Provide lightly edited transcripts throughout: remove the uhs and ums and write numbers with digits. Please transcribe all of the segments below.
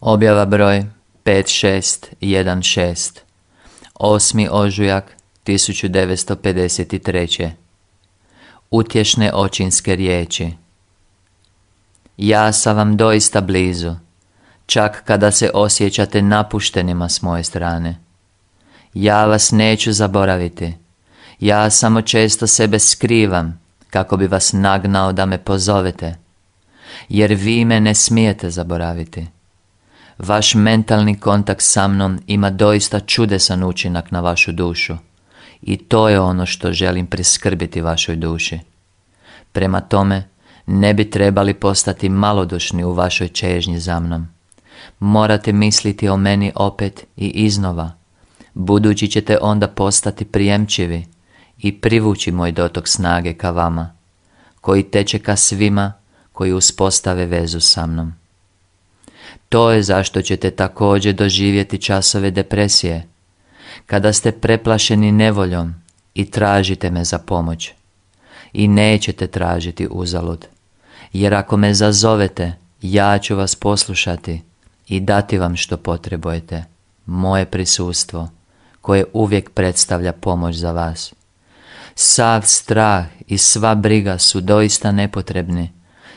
Objava broj 5616, 8. ožujak 1953. Utješne očinske riječi. Ja sam vam doista blizu, čak kada se osjećate napuštenima s moje strane. Ja vas neću zaboraviti, ja samo često sebe skrivam kako bi vas nagnao da me pozovete, jer vi me ne smijete zaboraviti. Vaš mentalni kontakt sa mnom ima doista čudesan učinak na vašu dušu i to je ono što želim priskrbiti vašoj duši. Prema tome, ne bi trebali postati malodušni u vašoj čežnji za mnom. Morate misliti o meni opet i iznova, budući ćete onda postati prijemčivi i privući moj dotok snage ka vama, koji teče ka svima koji uspostave vezu sa mnom. To je zašto ćete također doživjeti časove depresije, kada ste preplašeni nevoljom i tražite me za pomoć. I nećete tražiti uzalud, jer ako me zazovete, ja ću vas poslušati i dati vam što potrebujete, moje prisustvo, koje uvijek predstavlja pomoć za vas. Sav strah i sva briga su doista nepotrebni,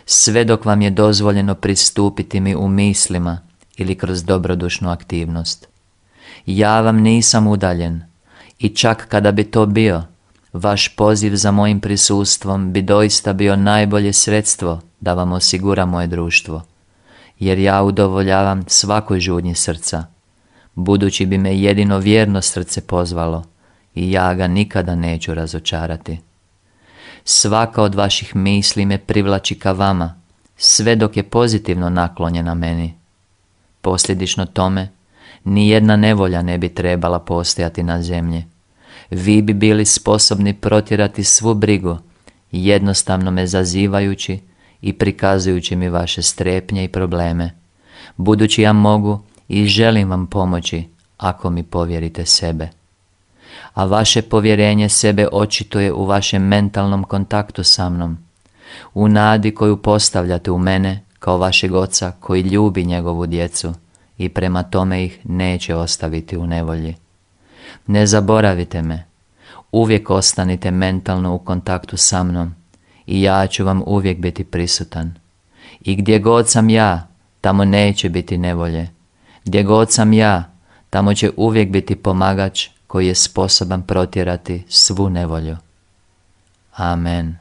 sve dok vam je dozvoljeno pristupiti mi u mislima ili kroz dobrodušnu aktivnost. Ja vam nisam udaljen i čak kada bi to bio, vaš poziv za mojim prisustvom bi doista bio najbolje sredstvo da vam osigura moje društvo, jer ja udovoljavam svakoj žudnji srca, budući bi me jedino vjerno srce pozvalo i ja ga nikada neću razočarati. Svaka od vaših misli me privlači ka vama, sve dok je pozitivno naklonjena meni. Posljedično tome, nijedna nevolja ne bi trebala postojati na zemlji. Vi bi bili sposobni protjerati svu brigu, jednostavno me zazivajući i prikazujući mi vaše strepnje i probleme, budući ja mogu i želim vam pomoći ako mi povjerite sebe. A vaše povjerenje sebe očituje u vašem mentalnom kontaktu sa mnom, u nadi koju postavljate u mene kao vašeg oca koji ljubi njegovu djecu i prema tome ih neće ostaviti u nevolji. Ne zaboravite me, uvijek ostanite mentalno u kontaktu sa mnom i ja ću vam uvijek biti prisutan. I gdje god sam ja, tamo neće biti nevolje. Gdje god sam ja, tamo će uvijek biti pomagač koji je sposoban protjerati svu nevolju. Amen.